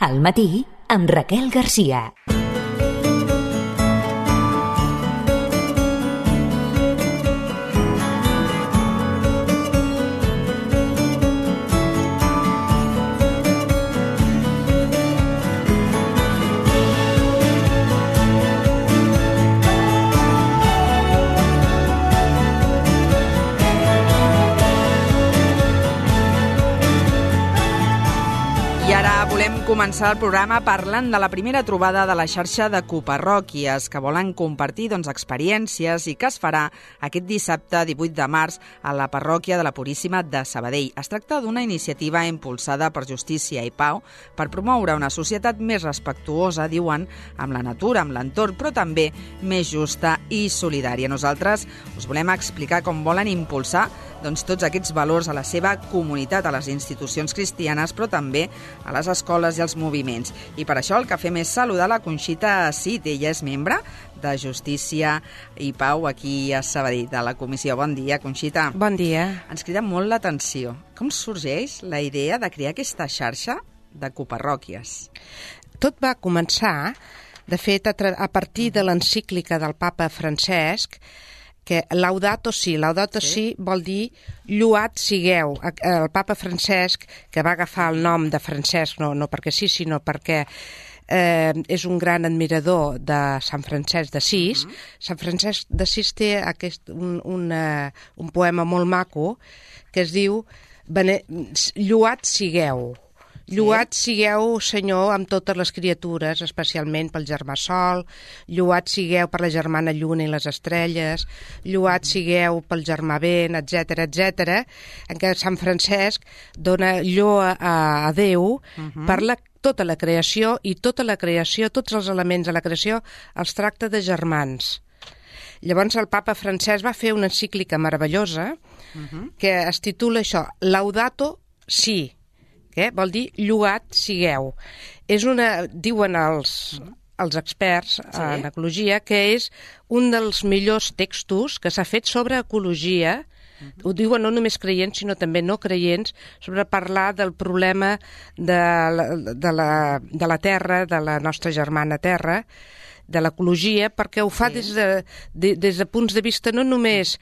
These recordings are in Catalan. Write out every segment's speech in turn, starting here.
Al matí, amb Raquel Garcia. I ara volem començar el programa parlant de la primera trobada de la xarxa de coparròquies que volen compartir experiències i que es farà aquest dissabte 18 de març a la parròquia de la Puríssima de Sabadell. Es tracta d'una iniciativa impulsada per Justícia i Pau per promoure una societat més respectuosa, diuen, amb la natura, amb l'entorn, però també més justa i solidària. Nosaltres us volem explicar com volen impulsar tots aquests valors a la seva comunitat, a les institucions cristianes, però també a les escoles i als moviments. I per això el que fem és saludar la Conxita Cid. Ella és membre de Justícia i Pau aquí a Sabadell, de la comissió. Bon dia, Conxita. Bon dia. Ens crida molt l'atenció. Com sorgeix la idea de crear aquesta xarxa de coparròquies? Tot va començar, de fet, a partir de l'encíclica del papa Francesc, que Laudato Si. Laudato Si vol dir lloat sigueu. El papa Francesc, que va agafar el nom de Francesc, no perquè sí, sinó perquè és un gran admirador de Sant Francesc d'Assís. Sant Francesc d'Assís té un poema molt maco que es diu lloat sigueu. Lloat sigueu, Senyor, amb totes les criatures, especialment pel germà Sol, lloat sigueu per la germana Lluna i les estrelles, lloat sigueu pel germà Vent, etc etc. En què Sant Francesc dona lloa a Déu per tota la creació, i tota la creació, tots els elements de la creació, els tracta de germans. Llavors el papa Francesc va fer una encíclica meravellosa que es titula això, Laudato Si, que vol dir lloat sigueu. És diuen els experts en ecologia, que és un dels millors textos que s'ha fet sobre ecologia. Ho diuen no només creients, sinó també no creients, sobre parlar del problema de la Terra, de la nostra germana Terra, de l'ecologia, perquè ho fa des de punts de vista no només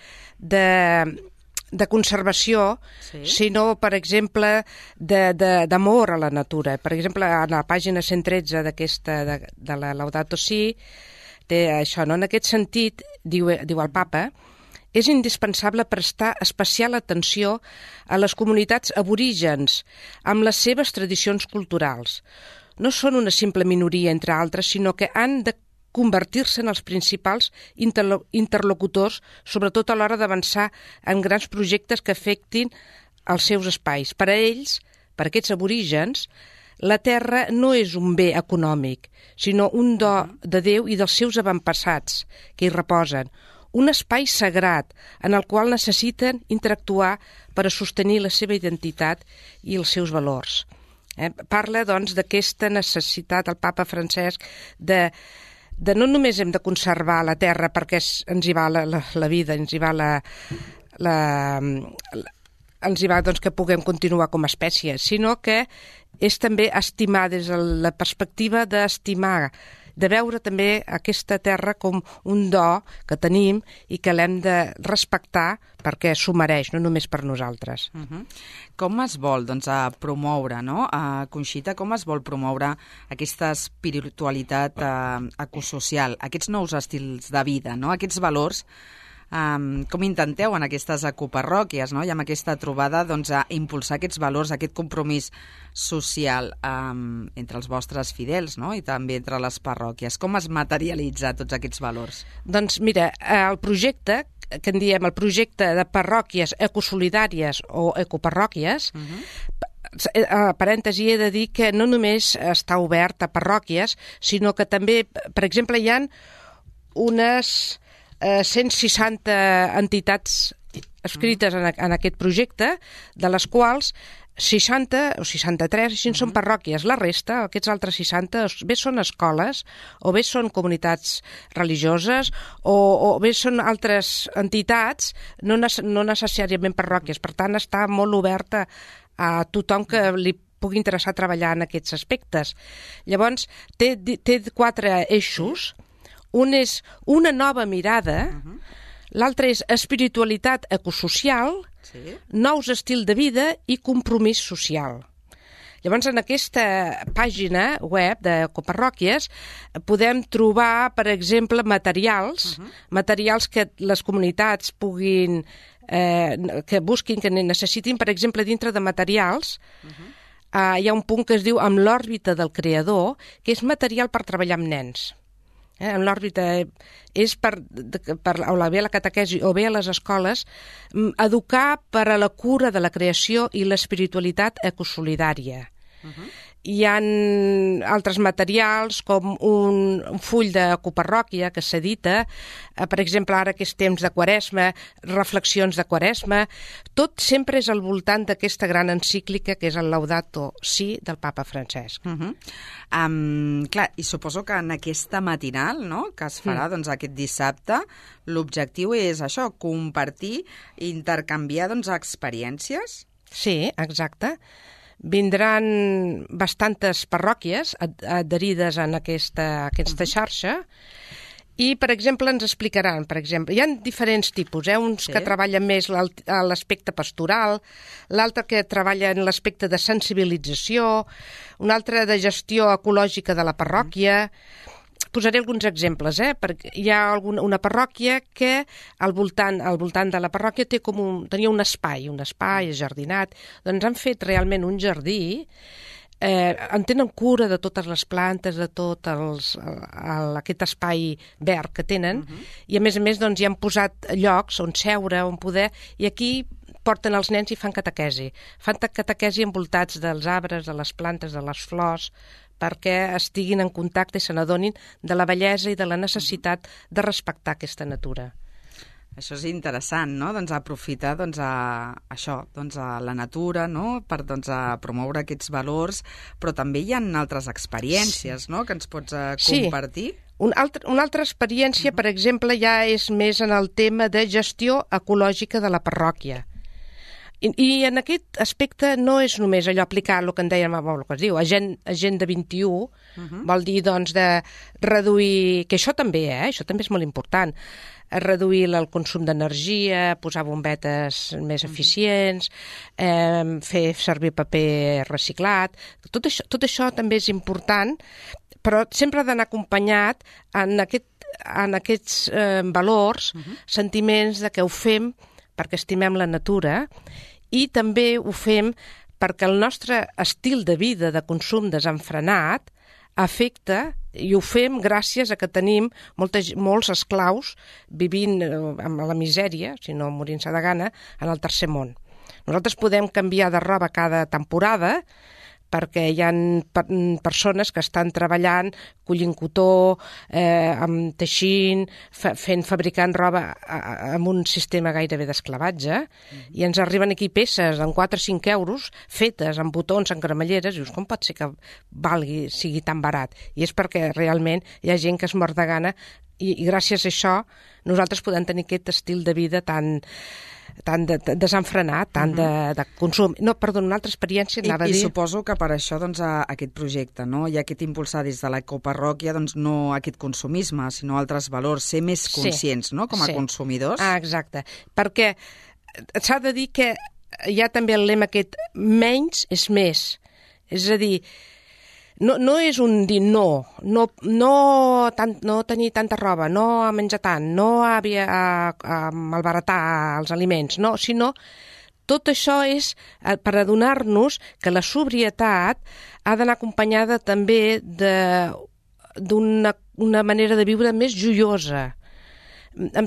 de conservació, sinó, per exemple, d'amor a la natura. Per exemple, a la pàgina 113 de la Laudato Si, té això, no? En aquest sentit, diu el papa, és indispensable prestar especial atenció a les comunitats aborígens amb les seves tradicions culturals. No són una simple minoria entre altres, sinó que han de convertir-se en els principals interlocutors, sobretot a l'hora d'avançar en grans projectes que afectin els seus espais. Per a ells, per a aquests aborígens, la terra no és un bé econòmic, sinó un do de Déu i dels seus avantpassats que hi reposen, un espai sagrat en el qual necessiten interactuar per a sostenir la seva identitat i els seus valors. Parla, doncs, d'aquesta necessitat, el papa Francesc, de no només hem de conservar la terra perquè ens hi va la vida, ens hi va doncs, que puguem continuar com a espècie, sinó que és també estimar des de la perspectiva d'estimar, de veure també aquesta terra com un do que tenim i que l'hem de respectar perquè s'ho mereix, no només per nosaltres. Com es vol promoure, Conxita, com es vol promoure aquesta espiritualitat ecosocial, aquests nous estils de vida, aquests valors? Com intenteu en aquestes ecoparròquies i amb aquesta trobada impulsar aquests valors, aquest compromís social entre els vostres fidels i també entre les parròquies? Com es materialitza tots aquests valors? Doncs mira, el projecte, que en diem el projecte de parròquies ecosolidàries o ecoparròquies, parèntesi, he de dir que no només està obert a parròquies, sinó que també, per exemple, hi ha unes 160 entitats escrites en aquest projecte, de les quals 60 o 63 així són parròquies. La resta, aquests altres 60, bé són escoles, o bé són comunitats religioses, o bé són altres entitats, no necessàriament parròquies. Per tant, està molt oberta a tothom que li pugui interessar treballar en aquests aspectes. Llavors, té 4 eixos. Un és una nova mirada, l'altre és espiritualitat ecosocial, nous estils de vida i compromís social. Llavors, en aquesta pàgina web de Coparròquies podem trobar, per exemple, materials que les comunitats puguin, que busquin, que necessitin, per exemple, dintre de materials. Hi ha un punt que es diu amb l'òrbita del creador, que és material per treballar amb nens. En l'òrbita és per o bé a la catequesi o bé a les escoles, educar per a la cura de la creació i l'espiritualitat ecosolidària. Hi ha altres materials com un full de coparròquia que s'edita, per exemple, ara que és temps de Quaresma, reflexions de Quaresma, tot sempre és al voltant d'aquesta gran encíclica que és el Laudato Si del papa Francesc. Clar, i suposo que en aquesta matinal, no?, que es farà aquest dissabte, l'objectiu és això, compartir i intercanviar experiències? Sí, exacte. Vindran bastantes parròquies adherides en aquesta xarxa i, per exemple, ens explicaran, hi ha diferents tipus, uns que treballen més l'aspecte pastoral, l'altre que treballa en l'aspecte de sensibilització, un altre de gestió ecològica de la parròquia. Posaré alguns exemples, perquè hi ha una parròquia que al voltant de la parròquia tenia un espai ajardinat. Doncs han fet realment un jardí, en tenen cura de totes les plantes, de tot aquest espai verd que tenen, i a més hi han posat llocs on seure, on poder, i aquí porten els nens i fan catequesi. Fan catequesi envoltats dels arbres, de les plantes, de les flors, perquè estiguin en contacte i se n'adonin de la bellesa i de la necessitat de respectar aquesta natura. Això és interessant, no?, aprofitar això, la natura, no?, per promoure aquests valors, però també hi ha altres experiències, no?, que ens pots compartir. Sí. Una altra experiència, per exemple, ja és més en el tema de gestió ecològica de la parròquia. I en aquest aspecte no és només allò aplicar el que en dèiem, el que es diu Agenda 21, vol dir de reduir, que això també és molt important, reduir el consum d'energia, posar bombetes més eficients, fer servir paper reciclat. Tot això també és important, però sempre ha d'anar acompanyat en aquests valors, sentiments de que ho fem perquè estimem la natura i també ho fem perquè el nostre estil de vida de consum desenfrenat afecta, i ho fem gràcies a que tenim molts esclaus vivint amb la misèria, si no morint-se de gana, en el tercer món. Nosaltres podem canviar de roba cada temporada perquè hi ha persones que estan treballant, collint cotó, teixint, fabricant roba amb un sistema gairebé d'esclavatge, i ens arriben aquí peces amb 4 o 5 euros fetes amb botons, amb cremalleres, i dius, com pot ser que sigui tan barat? I és perquè realment hi ha gent que es mor de gana i gràcies a això nosaltres podem tenir aquest estil de vida tan desenfrenat, tant de consum. No, perdó, una altra experiència anava a dir... I suposo que per això aquest projecte, no? I aquest impulsar des de la coparròquia no aquest consumisme, sinó altres valors, ser més conscients, no?, com a consumidors. Exacte, perquè s'ha de dir que hi ha també el lema aquest menys és més, és a dir, no és un dir no tenir tanta roba, no menjar tant, no malbaratar els aliments, no, sinó tot això és per adonar-nos que la sobrietat ha d'anar acompanyada també d'una manera de viure més joiosa.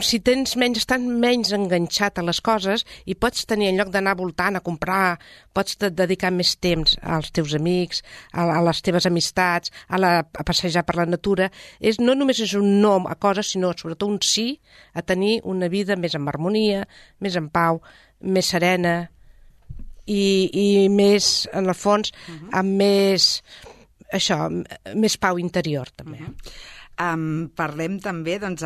Si tens estàs menys enganxat a les coses i pots tenir, en lloc d'anar voltant a comprar, pots dedicar més temps als teus amics, a les teves amistats, a passejar per la natura. No només és un no a coses, sinó sobretot un sí a tenir una vida més en harmonia, més en pau, més serena i més, en el fons, amb més pau interior, també. Parlem també, doncs,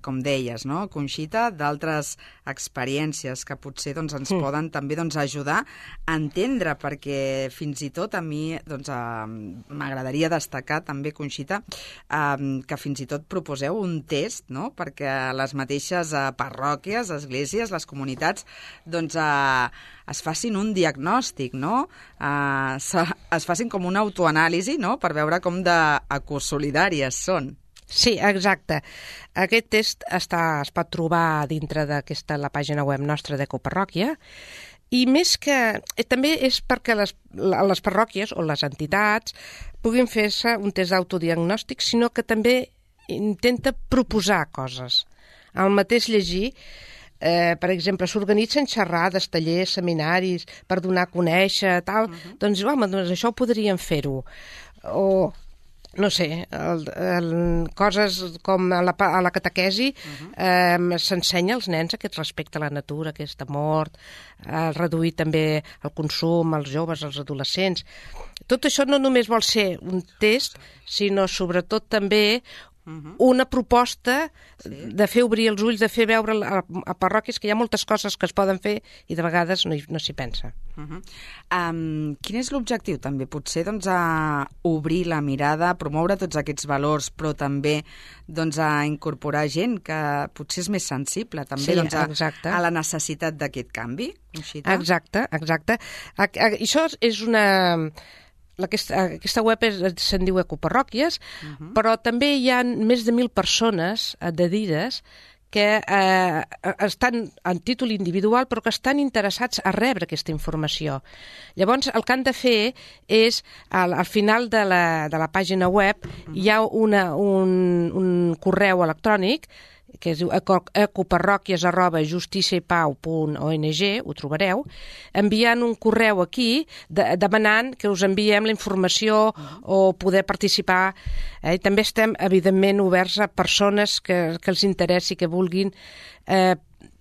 com deies, no, Conxita, d'altres experiències que potser doncs, ens poden també doncs, ajudar a entendre, perquè fins i tot a mi doncs, m'agradaria destacar també, Conxita, que fins i tot proposeu un test, no?, perquè les mateixes parròquies, esglésies, les comunitats, doncs, es facin un diagnòstic, no?, es facin com una autoanàlisi, no?, per veure com d'ecosolidàries són. Sí, exacte. Aquest test es pot trobar dintre la pàgina web nostra d'Ecoparròquia, i més que... també és perquè les parròquies o les entitats puguin fer-se un test d'autodiagnòstic, sinó que també intenta proposar coses. Al mateix llegir, per exemple, s'organitzen xerrades, tallers, seminaris per donar a conèixer, tal, doncs, home, doncs això ho podríem fer-ho. O... no sé, coses com a la catequesi s'ensenya als nens aquest respecte a la natura, aquest amor, reduir també el consum als joves, als adolescents. Tot això no només vol ser un test, sinó sobretot també una proposta de fer obrir els ulls, de fer veure a parròquies que hi ha moltes coses que es poden fer i de vegades no s'hi pensa. Quin és l'objectiu també? Potser doncs, a obrir la mirada, a promoure tots aquests valors, però també doncs, a incorporar gent que potser és més sensible també a la necessitat d'aquest canvi? Conxita? Exacte. Això és una... Aquesta web se'n diu Ecoparròquies, però també hi ha més de 1.000 persones adherides que estan en títol individual però que estan interessats a rebre aquesta informació. Llavors, el que han de fer és, al final de la pàgina web, hi ha un correu electrònic que es diu ecoparroquies@justiciaipau.ong, ho trobareu, enviant un correu aquí demanant que us enviem la informació o poder participar. També estem, evidentment, oberts a persones que els interessi, que vulguin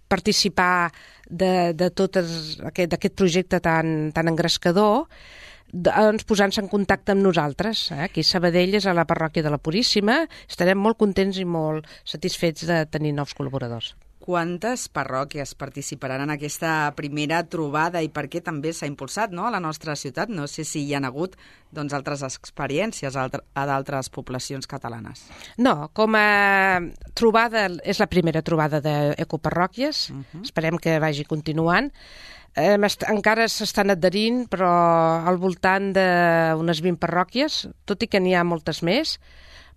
participar de tot aquest projecte tan engrescador, doncs posant-se en contacte amb nosaltres. Aquí a Sabadell és a la parròquia de la Puríssima. Estarem molt contents i molt satisfets de tenir nous col·laboradors. Quantes parròquies participaran en aquesta primera trobada i per què també s'ha impulsat, no?, a la nostra ciutat? No sé si hi ha hagut doncs, altres experiències a d'altres poblacions catalanes. No, com a trobada, és la primera trobada d'Ecoparròquies. Esperem que vagi continuant. Encara s'estan adherint, però al voltant d'unes 20 parròquies, tot i que n'hi ha moltes més,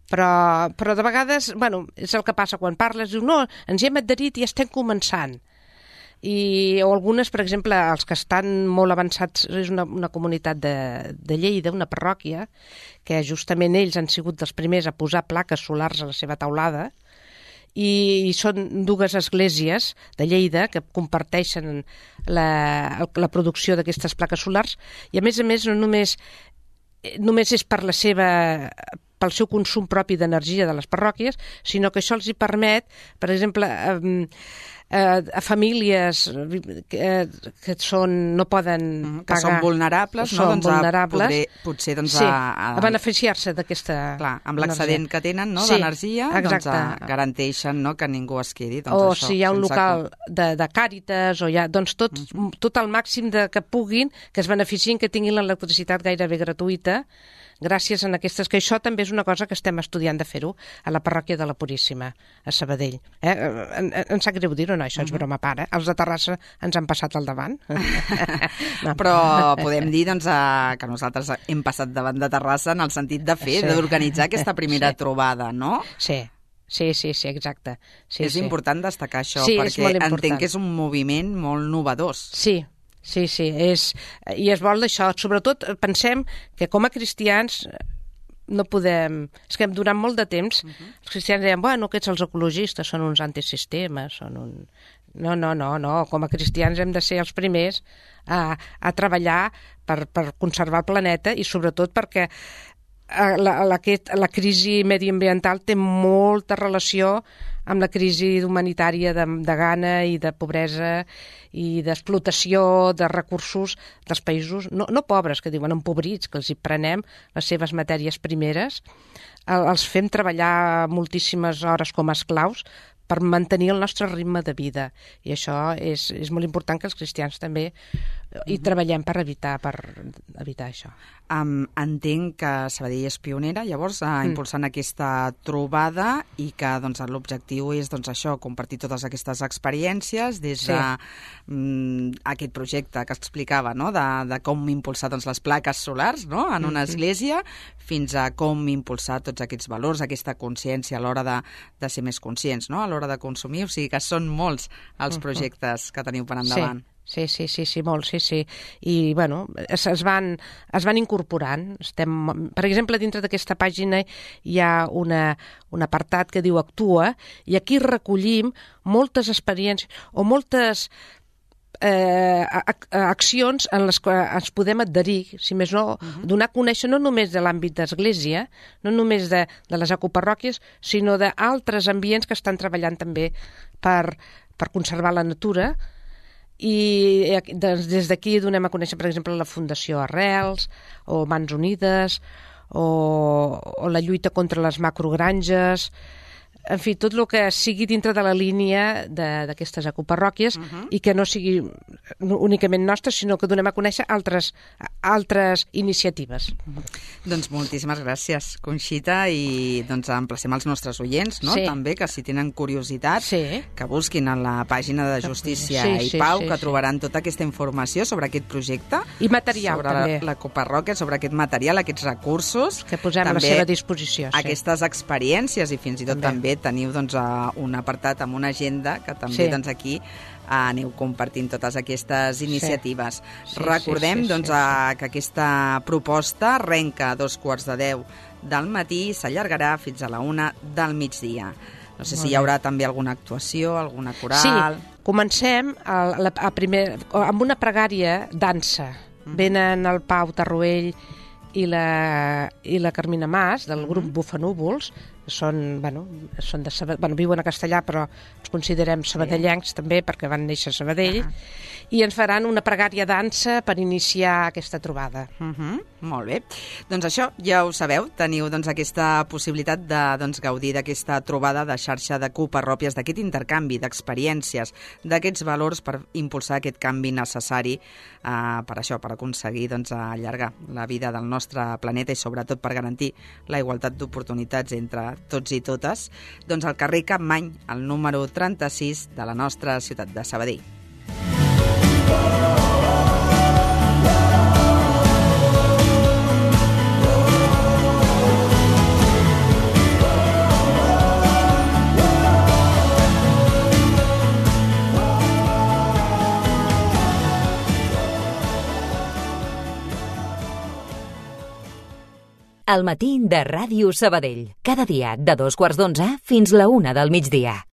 però de vegades, bueno, és el que passa quan parles, diu, no, ens hi hem adherit i estem començant. O algunes, per exemple, els que estan molt avançats, és una comunitat de Lleida, una parròquia, que justament ells han sigut els primers a posar plaques solars a la seva teulada, i són dues esglésies de Lleida que comparteixen la producció d'aquestes plaques solars, i a més no només és pel seu consum propi d'energia de les parròquies, sinó que això els hi permet, per exemple, a famílies que no poden pagar... Que són vulnerables, no? Doncs potser doncs, a beneficiar-se d'aquesta... Clar, amb l'excedent que tenen, no?, d'energia, doncs garanteixen, no?, que ningú es quedi. O si hi ha un local de Càritas, o hi ha... Doncs tot al màxim que puguin, que es beneficien, que tinguin l'electricitat gairebé gratuïta, gràcies a aquestes, que això també és una cosa que estem estudiant de fer-ho a la parròquia de la Puríssima, a Sabadell. Em sap greu dir-ho, no, això és broma a part, els de Terrassa ens han passat al davant. No. Però podem dir doncs, que nosaltres hem passat davant de Terrassa en el sentit de fer, d'organitzar aquesta primera trobada, no? Sí, exacte. És important destacar això, perquè entenc que és un moviment molt novedós. Sí, i es vol d'això. Sobretot pensem que com a cristians no podem... És que durant molt de temps els cristians deien, bueno, aquests els ecologistes són uns antisistemes, són un... No, com a cristians hem de ser els primers a treballar per conservar el planeta, i sobretot perquè la crisi mediambiental té molta relació amb la crisi humanitària de gana i de pobresa i d'explotació de recursos dels països, no pobres, que diuen empobrits, que els hi prenem les seves matèries primeres, els fem treballar moltíssimes hores com a esclaus per mantenir el nostre ritme de vida. I això és molt important que els cristians també hi treballem per evitar això. Entenc que Sabadell és pionera, llavors, impulsant aquesta trobada i que l'objectiu és això, compartir totes aquestes experiències des d'aquest projecte que explicava, no? de com impulsar les plaques solars, no? En una església, fins a com impulsar tots aquests valors, aquesta consciència a l'hora de ser més conscients, no? A l'hora de consumir, o sigui que són molts els projectes que teniu per endavant. Sí, molts, sí. I, bueno, es van incorporant. Per exemple, dintre d'aquesta pàgina hi ha un apartat que diu Actua, i aquí recollim moltes experiències o moltes accions en les que ens podem adherir, si més no, donar a conèixer no només de l'àmbit d'església, no només de les ecoparròquies, sinó d'altres ambients que estan treballant també per conservar la natura. I des d'aquí donem a conèixer, per exemple, la Fundació Arrels, o Mans Unides, o la lluita contra les macrogranges, en fi, tot el que sigui dintre de la línia d'aquestes ecoparròquies i que no sigui únicament nostres, sinó que donem a conèixer altres iniciatives. Doncs moltíssimes gràcies, Conxita, i emplacem els nostres oients, no? També, que si tenen curiositat, que busquin a la pàgina de Justícia i Pau, que trobaran tota aquesta informació sobre aquest projecte. I material, també. Sobre l'ecoparròquia, sobre aquest material, aquests recursos. Que posem a la seva disposició. Aquestes experiències i fins i tot també teniu un apartat amb una agenda que també aquí aneu compartint totes aquestes iniciatives. Recordem que aquesta proposta arrenca a 2:15 del matí i s'allargarà fins a la 1 del migdia. No sé si hi haurà també alguna actuació, alguna coral... Sí, comencem amb una pregària dansa. Venen el Pau Tarruell i la Carmina Mas, del grup Bufanúvols, viuen a Castellà, però ens considerem sabadellencs també, perquè van néixer a Sabadell, i ens faran una pregària dansa per iniciar aquesta trobada. Molt bé. Doncs això, ja ho sabeu, teniu aquesta possibilitat de gaudir d'aquesta trobada de xarxa de coparròquies, d'aquest intercanvi d'experiències, d'aquests valors per impulsar aquest canvi necessari per això, per aconseguir allargar la vida del nostre planeta i sobretot per garantir la igualtat d'oportunitats entre tots i totes, al carrer Capmany, el número 36 de la nostra ciutat de Sabadell. Al matí de Ràdio Sabadell. Cada dia de 2:15 fins la 1 del migdia.